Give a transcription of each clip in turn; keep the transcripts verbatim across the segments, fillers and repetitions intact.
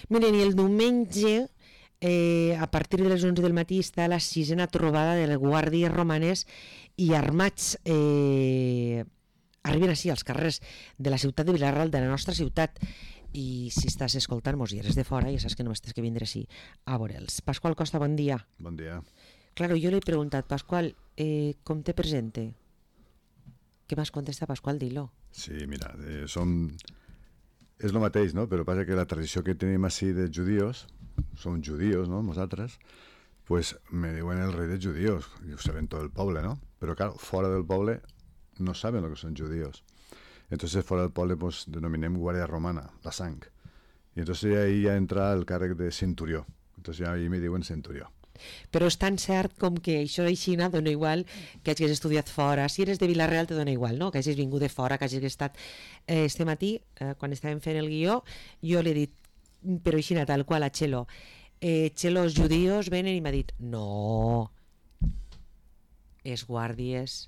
Miren, i el diumenge, eh, a partir de les onze del matí, està la sisena trobada de les guàrdies romanes i armats eh, arriben així als carrers de la ciutat de Vila-real, de la nostra ciutat. I si estàs escoltant-nos i eres de fora, ja saps que només tens que vindre així a veure'ls. Pasqual Costa, bon dia. Bon dia. Claro, jo li he preguntat, Pasqual, eh, com te presente? Què m'has contestat, Pasqual? Dilo. Sí, mira, eh, som... és el mateix, no? Però passa que la tradició que tenim així de judíos, som judíos, no?, nosaltres, pues me diuen el rei de judíos, i ho saben tot el poble, ¿no? Però, claro, fora del poble no saben lo que són judíos. Entonces, fora del poble, pues, denominem guàrdia romana, la sang. Y entonces ahí ya entra el càrrec de centurió. Entonces ya ahí me diuen centurió. Però és tan cert com que això d'Eixina dona igual que hagis estudiat fora. Si eres de Vila-real te dona igual, no? Que hagis vingut de fora, que hagis estat... Eh, este matí, eh, quan estàvem fent el guió, jo li he dit, peròEixina, tal qual a Txelo, eh, Txelo, els judíos venen, i m'ha dit, no, és guàrdies...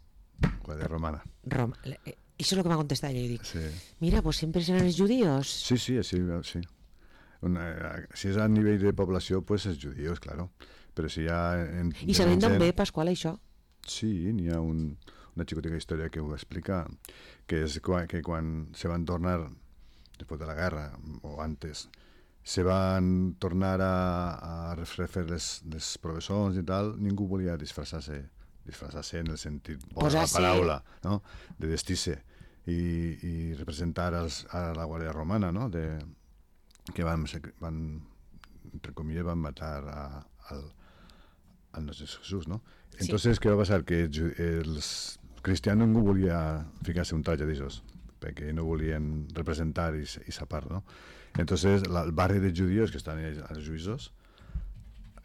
Guàrdia romana. Rom eh, això és el que m'ha contestat, jo dic, Sí. mira, pues sempre seran els judíos. Sí, sí, sí, sí. Una, si és a nivell de població, pues és judíos, claro. Però si hi ha... En, I sabem d'on ve, Pasqual, això? Sí, n'hi ha un, una xicotica història que ho explica, que és quan, que quan se van tornar, després de la guerra, o antes, se van tornar a, a refer les, les professors i tal, ningú volia disfressar-se, disfressar-se en el sentit de la paraula, no?, de vestir-se i, i representar als, a la Guàrdia Romana, no?, de, que van, van, entre comillas, van matar a, al, al nostre Jesús, no? Entonces, sí. ¿Qué va a pasar? Que els cristians no volien ficar-se un traje d'aixòs, perquè no volien representar i, i sapar, no? Entonces, la, el barri de judíos que estan als juïsos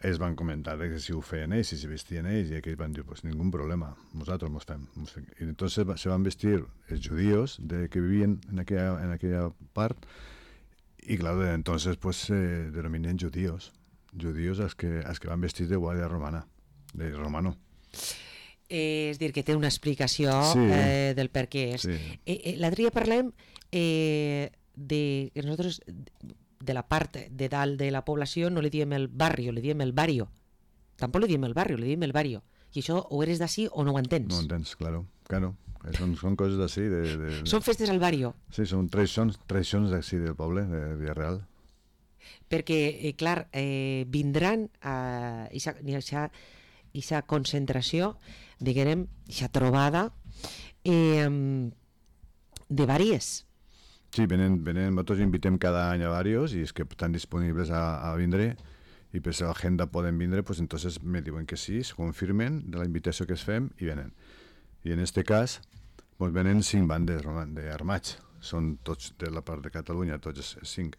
ells van comentar que si ho feien ells, si se vestien ells, i aquells van dir, pues ningún problema, nosaltres mos fem. Mos fem. I entonces se van vestir els judíos de, que vivien en aquella, en aquella part. Y claro, entonces pues se eh, denominan judíos, judíos els que, els que van vestir de guàrdia romana, de romano. Eh, és dir, que té una explicació sí. eh, del per què és. Sí. Eh, eh, L'altre dia parlem eh, de que nosaltres, de la part de dalt de la població, no li diem el barrio, li diem el barrio. Tampoc li diem el barrio, li diem el barrio. I això o eres d'ací o no ho entens. No ho entens, claro, claro. Són, són coses d'ací. De, de... Són festes al barrio. Sí, són tradicions, tradicions d'ací del poble, de Vila-real. Perquè, eh, clar, eh, vindran a aquesta concentració, diguem, aquesta trobada eh, de vàries. Sí, venen, venen, nosaltres invitem cada any a varios i és que estan disponibles a, a vindre i per si l'agenda poden vindre, pues entonces me diuen que sí, se confirmen de la invitació que es fem i venen. I en este cas pues venen cinc bandes d'armats, són tots de la part de Catalunya, tots cinc.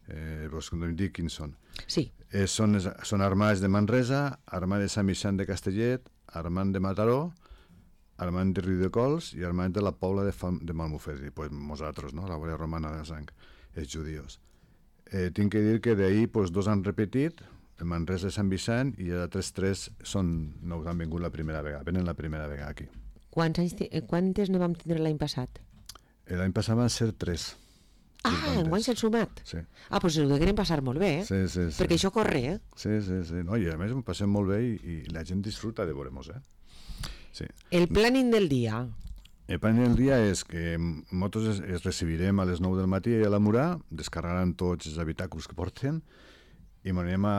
Eh, vos em dic quins són. Sí. Eh, són, són armats de Manresa, armats de Sant Vicent de Castellet, armats de Mataró, armats de Riudecols i armats de la Pobla de, Fam, de Malmufet, i pues nosaltres, no? La Guàrdia Romana de Sang, els judíos. Eh, tinc que dir que d'ahir pues, dos han repetit, el Manresa de Sant Vicent, i els altres tres són, no han vingut la primera vegada, venen la primera vegada aquí. Quants anys, quantes no vam tindre l'any passat? L'any passat van ser tres. Ah, enguany s'han sumat? Sí. Ah, doncs ho deguem passar molt bé, eh? Sí, sí, sí. Perquè això corre, eh? Sí, sí, sí. No, i a més ho passem molt bé i, i la gent disfruta de veure-nos, eh? Sí. El planning del dia. El planning del dia és que nosaltres es, es recibirem a les nou del matí a la Murà, descarregaran tots els habitacles que porten i anirem a,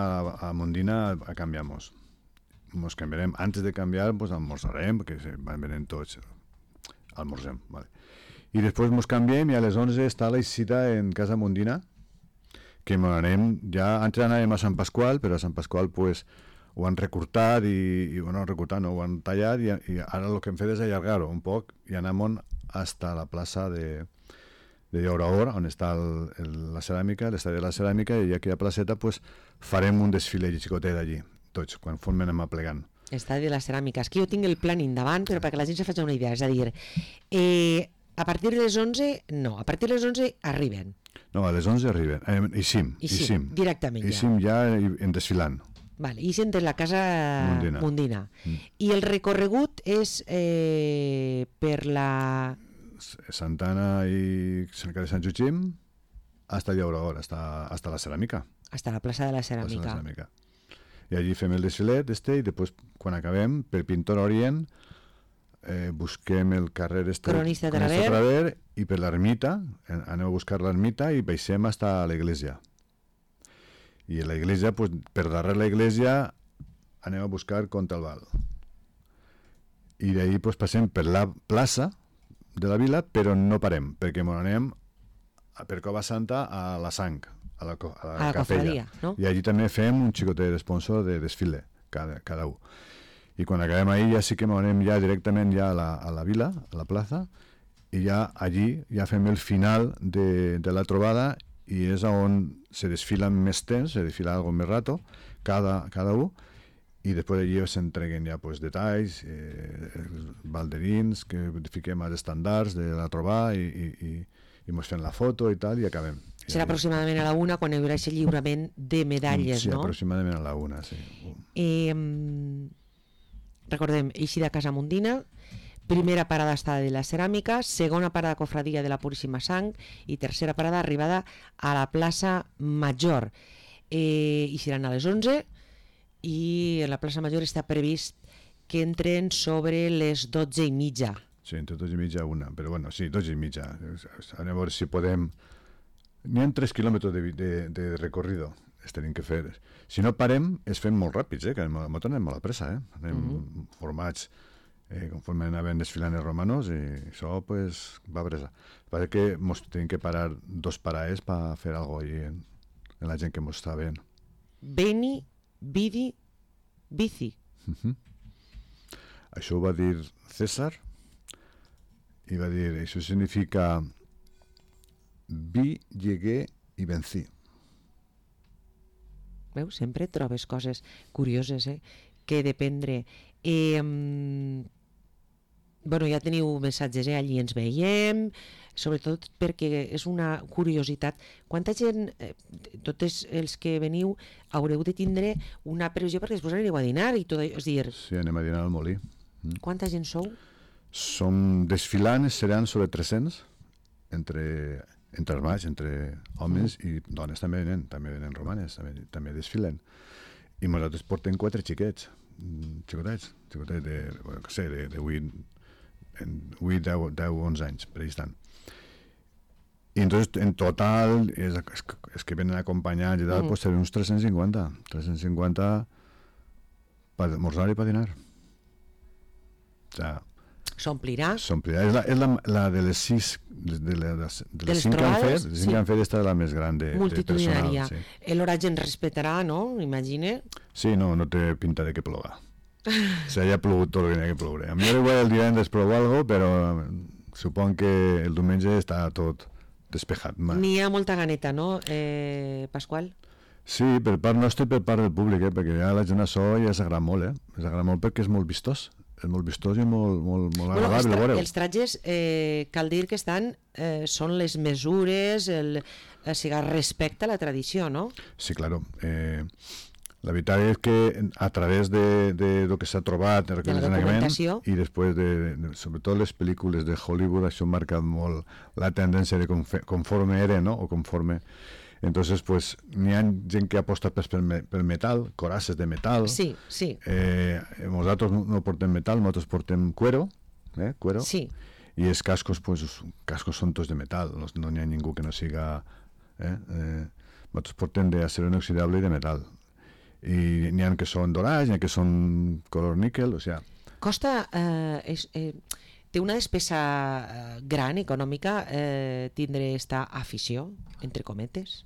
a Mondina a, a canviar-nos. Ens canviarem, antes de canviar, pues almorzarem, perquè van venint tots, almorzem, vale. I després ens canviem i a les onze està la cita en Casa Mondina, que anem, ja, antes anàvem a Sant Pasqual, però a Sant Pasqual pues, ho han recortat i, i bueno, recortat, no, ho han tallat i, i ara el que hem fet és allargar-ho un poc i anem hasta la plaça de, de Llauraor, on està el, el, la ceràmica, l'estadi de la ceràmica, i aquella placeta pues, farem un desfile xicotet allí, tots, quan formen anem aplegant. Estadi de la ceràmica. És que jo tinc el planning davant, però perquè la gent se faci una idea. És a dir, eh, a partir de les onze, no, a partir de les onze arriben. No, a les onze arriben. Eh, I sim, I sim, directament ja. I sim ja en desfilant. Vale, i sent la casa Mondina. Mondina. Mm. I el recorregut és eh, per la... Santana i Sant Cari Sant Joaquim, hasta Llaurador, hasta, hasta la Ceràmica. Hasta la plaça de la Hasta la Ceràmica. Ceràmica. I allí fem el desfilet este, i després, quan acabem, per Pintor Orient, eh, busquem el carrer este, Cronista de Cronista Traver. Traver, i per l'ermita, eh, anem a buscar l'ermita i baixem hasta l'església. I a l'església, pues, per darrere l'església, anem a buscar Contalval. I d'ahir pues, passem per la plaça de la vila, però no parem, perquè ens anem a, per Cova Santa a la Sang, a la, co- a la, A la capella. cofradia, no? I allí també fem un xicotet d'esponsor de desfile, cada, cada un. I quan acabem ahir ja sí que ens anem ja directament ja a la, a la vila, a la plaça, i ja allí ja fem el final de, de la trobada, i és on se desfilen més temps, se desfila algo més rato, cada, cada un, i després allí s'entreguen ja pues, detalls, eh, els balderins, que fiquem als estàndards de la trobada i, i, i, i mos fem la foto i tal, i acabem. I Serà allí- aproximadament a la una quan hi haurà aquest lliurament de medalles, sí, no? aproximadament a la una, sí. Eh, recordem, Eixida de Casa Mundina, primera parada estada de la Ceràmica, segona parada cofradia de la Puríssima Sang i tercera parada arribada a la plaça Major. Eh, i seran a les onze i a la plaça Major està previst que entren sobre les dotze i mitja. Sí, entre dos i mitja a una, però bueno, sí, dos i mitja. Anem a veure si podem... N'hi ha tres quilòmetres de, de, de recorrido, es tenim que fer. Si no parem, es fem molt ràpids, eh? Que nosaltres anem molt a pressa, eh? Anem uh -huh. formats eh, conforme anaven desfilant els romanos, i això pues, va a pressa. Parece que mos tenim que parar dos paraes per fer alguna cosa en, en la gent que mos està veient. Beni, Vidi, Bici. Uh -huh. Això ho va dir César, i va dir, això significa vi, llegué i vencí. Veus? Sempre trobes coses curioses, eh? Que dependre. Eh, bueno, ja teniu missatges, eh? Allí ens veiem, sobretot perquè és una curiositat. Quanta gent, eh, tots els que veniu, haureu de tindre una previsió perquè després anireu a dinar i tot, és dir, Sí, anem a dinar al Molí. Mm. quanta gent sou? Som desfilant, seran sobre tres-cents, entre, entre armats, entre homes mm. i dones també venen, també venen romanes, també, també desfilen. I nosaltres portem quatre xiquets, mm, xicotets, xicotets de, bueno, que sé, de, de vuit, deu, deu, onze anys, per ahí estan. I entonces, en total, és, és, és que venen acompanyats i tal, mm. pues seran uns tres-cents cinquanta. tres-cents cinquanta per esmorzar i per dinar. O sea, S'omplirà? s'omplirà. És, la, és la, la de les sis, de, de, de, les, de De les les cinc que han trobades, fet, les sí. cinc que han fet, esta és la més gran de, de Multitudinària. personal. Sí. L'hora ens respetarà, no? Imagine. sí, no, no té pinta de que ploga. Se haya plogut tot el que n'hi ha que ploure. A mi igual el divendres plou algo, però supon que el diumenge està tot despejat. Ma. N'hi ha molta ganeta, no, eh, Pasqual? Sí, per part nostra i per part del públic, eh? Perquè ja la gent això ja s'agrada molt, eh? S'agrada molt perquè és molt vistós. És molt vistós i molt, molt, molt Bueno, els, agradable, tra veureu. els trajes, eh, cal dir que estan, eh, són les mesures, el, o sigui, respecte a la tradició, no? Sí, claro. Eh, la veritat és que a través de, de lo que s'ha trobat en De la el documentació. i després de, de, sobretot les pel·lícules de Hollywood, això ha marcat molt la tendència de confe, conforme era, no? O conforme... Entonces, pues, n'hi ha gent que aposta per, per metal, corasses de metal. Sí, sí. Eh, nosaltres no portem metal, nosaltres portem cuero, eh? Cuero. Sí. I els cascos, pues, els cascos són tots de metal, no, no n'hi ha ningú que no siga... Eh? Eh, nosaltres portem d'acero inoxidable i de metal. I n'hi ha que són dorats, n'hi ha que són color níquel, o sigui... Costa, eh, és, eh, té una despesa eh, gran, econòmica, eh, tindre esta afició, entre cometes?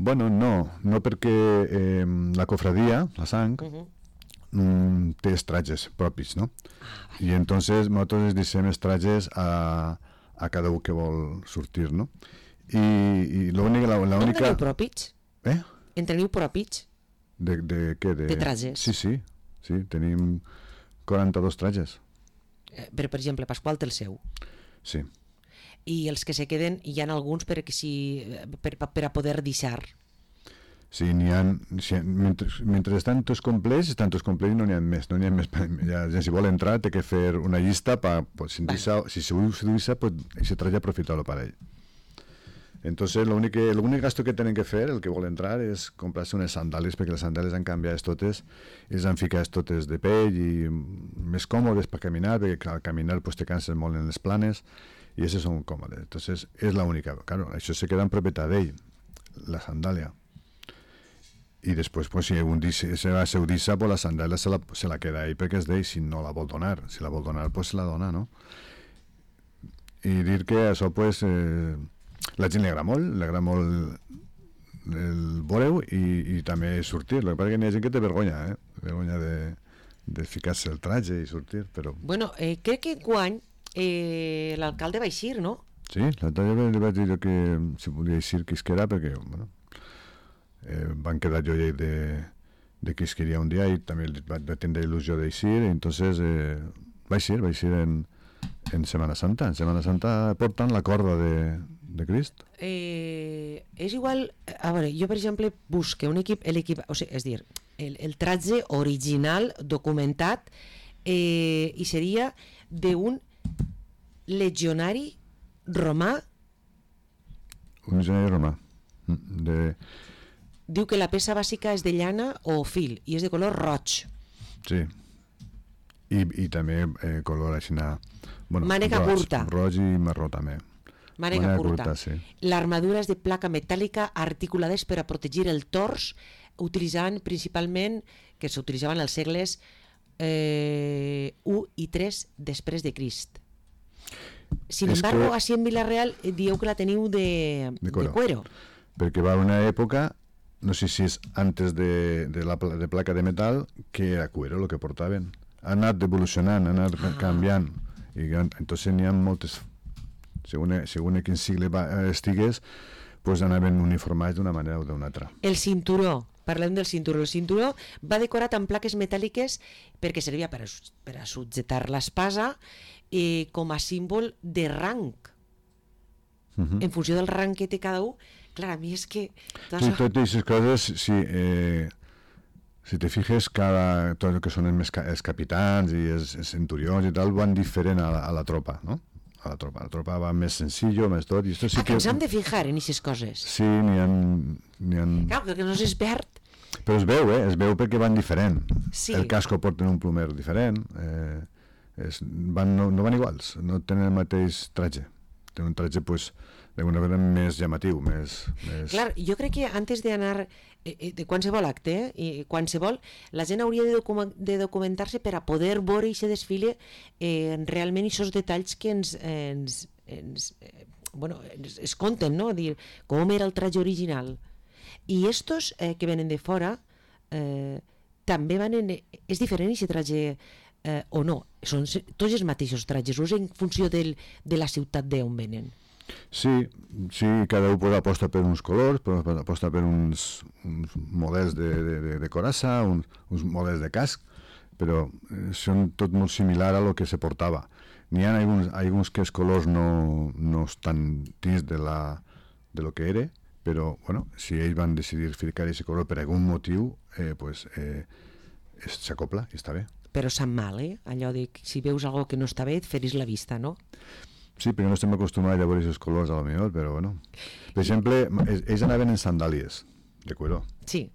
Bueno, no, no perquè eh, la cofradia, la sang, Uh -huh. mm, té els trajes propis, no? Ah, I entonces nosaltres els deixem els trajes a, a cada un que vol sortir, no? I, i l'única... La, la no única... teniu propis? Eh? En teniu propis? De, de què? De, De trajes. Sí, sí, sí, tenim quaranta-dos trajes. Eh, però, per exemple, Pasqual té el seu. Sí. I els que se queden, hi ha alguns per, que si, per, per a poder deixar. Sí, n'hi ha... Si, mentre, mentre estan tots complets, estan tots complets i no n'hi ha més. No n'hi ha més. Ja, ja, si vol entrar, té que fer una llista per... Pues, si, Vale. deixa, si se vull deixar, pues, aquest traje aprofitar-lo per ell. Entonces, lo únic, que, lo únic gasto que tenen que fer, el que vol entrar, és comprar-se unes sandàlies, perquè les sandàlies han canviat totes, i les han ficat totes de pell i més còmodes per caminar, perquè al caminar pues, te canses molt en les planes, i aquestes són còmodes. Entonces, és l'única. Claro, això se queda en propietat d'ell, la sandàlia. I després, pues, si un dia se va seu dissa, pues, la sandàlia se la, se la queda ell perquè és d'ell, si no la vol donar. Si la vol donar, pues se la dona, no? I dir que això, pues, eh, la gent li agrada molt, li agrada molt el veure-ho i, i també sortir. El que passa que hi ha gent que té vergonya, eh? Vergonya de, de ficar-se el traje i sortir, però... Bueno, eh, crec que enguany eh, l'alcalde va eixir, no? Sí, l'altre dia li vaig dir que si volia eixir que isquera, perquè, bueno, eh, van quedar jo de, de que isqueria un dia i també va, va tindre il·lusió d'eixir, i entonces eh, va eixir, va eixir en, en Setmana Santa. En Setmana Santa porten la corda de, de Crist. Eh, és igual, a veure, jo per exemple busque un equip, l'equip, o sigui, és dir, el, el traje original documentat eh, i seria d'un legionari romà. Un legionari romà. De... Diu que la peça bàsica és de llana o fil i és de color roig. Sí. I, i també eh, color així, bueno, mànega roig, curta. Roig i marró també. Mànega curta. curta sí. L'armadura és de placa metàl·lica articulades per a protegir el tors, utilitzant principalment, que s'utilitzaven als segles eh, u i tres després de Crist. Sin és embargo, que... així en Vila-real dieu que la teniu de, de, cuero. de cuero. Perquè va una època, no sé si és antes de, de la de placa de metal, que era cuero el que portaven. Ha anat evolucionant, ha anat ah. canviant. I entonces n'hi ha moltes... Segons, segons quin sigle va, estigués, pues anaven uniformats d'una manera o d'una altra. El cinturó, parlem del cinturó. El cinturó va decorat amb plaques metàl·liques perquè servia per a, per a subjetar l'espasa eh, com a símbol de rang. Uh-huh. En funció del rang que té cada un. Clar, a mi és que... Sí, totes aquestes coses, sí, eh, si te fijes, cada, tot el que són els, els capitans i els, els centurions i tal, van diferent a la, a la tropa, no? A la tropa. La tropa va més senzill, més tot. I esto sí ah, que ens hem de fijar en aquestes coses. Sí, n'hi ha... N'hi ha... Clar, que no s'espert. Però es veu, eh? Es veu perquè van diferent. Sí. El casco porten un plomer diferent. Eh, es, van, no, no van iguals, no tenen el mateix traje. Tenen un traje, pues, d'alguna manera més llamatiu, més... més... Clar, jo crec que antes d'anar eh, de qualsevol acte, eh, i qualsevol, la gent hauria de, docu de documentar-se per a poder veure i se desfile eh, realment aquests detalls que ens, ens, ens, eh, bueno, ens, es conten, no? Dir, com era el traje original. I estos eh, que venen de fora eh, també van en... És diferent aquest traje eh, o no? Són tots els mateixos trajes, o és en funció del, de la ciutat d'on venen? Sí, sí, cada un pues, aposta per uns colors, aposta per uns, uns models de, de, de, de coraça, uns, uns models de casc, però eh, són tot molt similar a lo que se portava. N'hi ha alguns, alguns que els colors no, no estan dins de, la, de lo que era, però bueno, si ells van decidir ficar aquest color per algun motiu, eh, pues, eh, s'acopla i està bé. Però sap mal, eh? Allò de que si veus alguna que no està bé, et feris la vista, no? Sí, perquè no estem acostumats a veure aquests colors a lo millor, però bueno. Per exemple, ells anaven en sandàlies de cuero. Sí.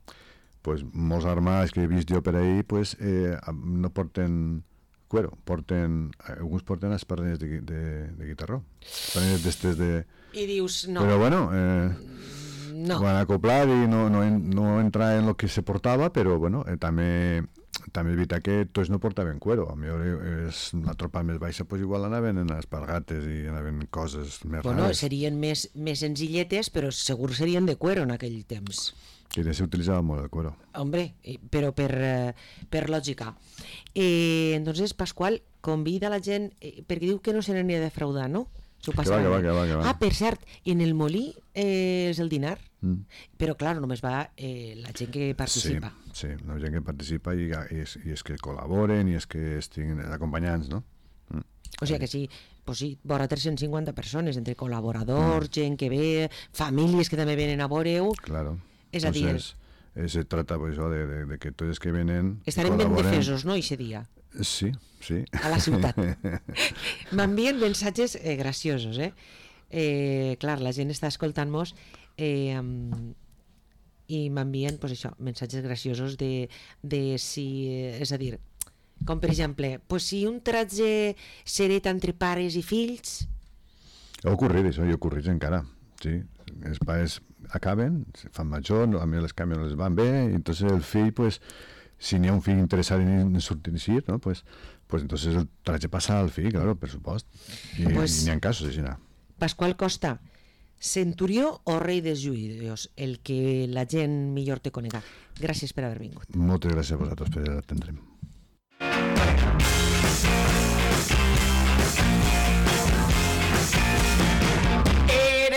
Pues molts armats que he vist jo per ahí, pues eh, no porten cuero, porten, alguns porten espardenyes de, de, de guitarró. Espardenyes d'estes de... I dius, no. Però bueno, eh, no. Van acoplar i no, no, no entrar en lo que se portava, però bueno, eh, també... També és veritat que tots no portaven cuero. A millor és la tropa més baixa, pues igual anaven en espargates i anaven coses més bueno, rares. Serien més, més senzilletes, però segur serien de cuero en aquell temps. Que ja s'utilitzava molt el cuero. Hombre, però per, per lògica. Eh, entonces, Pasqual convida la gent, eh, perquè diu que no se n'anirà a defraudar, no? Que va, que va, que va, que va. Ah, per cert, en el Molí eh, és el dinar, mm. però clar, només va eh, la gent que participa. Sí, sí, la gent que participa i, i, és, i és que col·laboren i és que estiguin acompanyants, no? Mm. O sigui que sí, pues sí, vora tres-cents cinquanta persones, entre col·laboradors, mm. gent que ve, famílies que també venen a veure-ho. Claro. És a dir... Eh, se trata pues, de, de, de que tots els que venen... Estarem ben defesos, no, aquest dia? Sí, sí. A la ciutat. M'envien mensatges eh, graciosos, eh? eh, clar, la gent està escoltant-nos eh, i m'envien pues, això, missatges graciosos de, de si, és a dir, com per exemple, pues, si un tratge s'hereta entre pares i fills. Ha ocorrit això, i ha ocorrit encara, sí. Els pares acaben, se fan major, a mi les canvis no les van bé, i entonces el fill, pues, si n'hi ha un fill interessat en sortir, ¿no? Pues, pues entonces el tratge passa al fill, claro, per supost. I pues, n'hi ha casos així. Pasqual Costa, centurió o rei dels judios, el que la gent millor te conega. Gràcies per haver vingut. Moltes gràcies a vosaltres per atendre'm.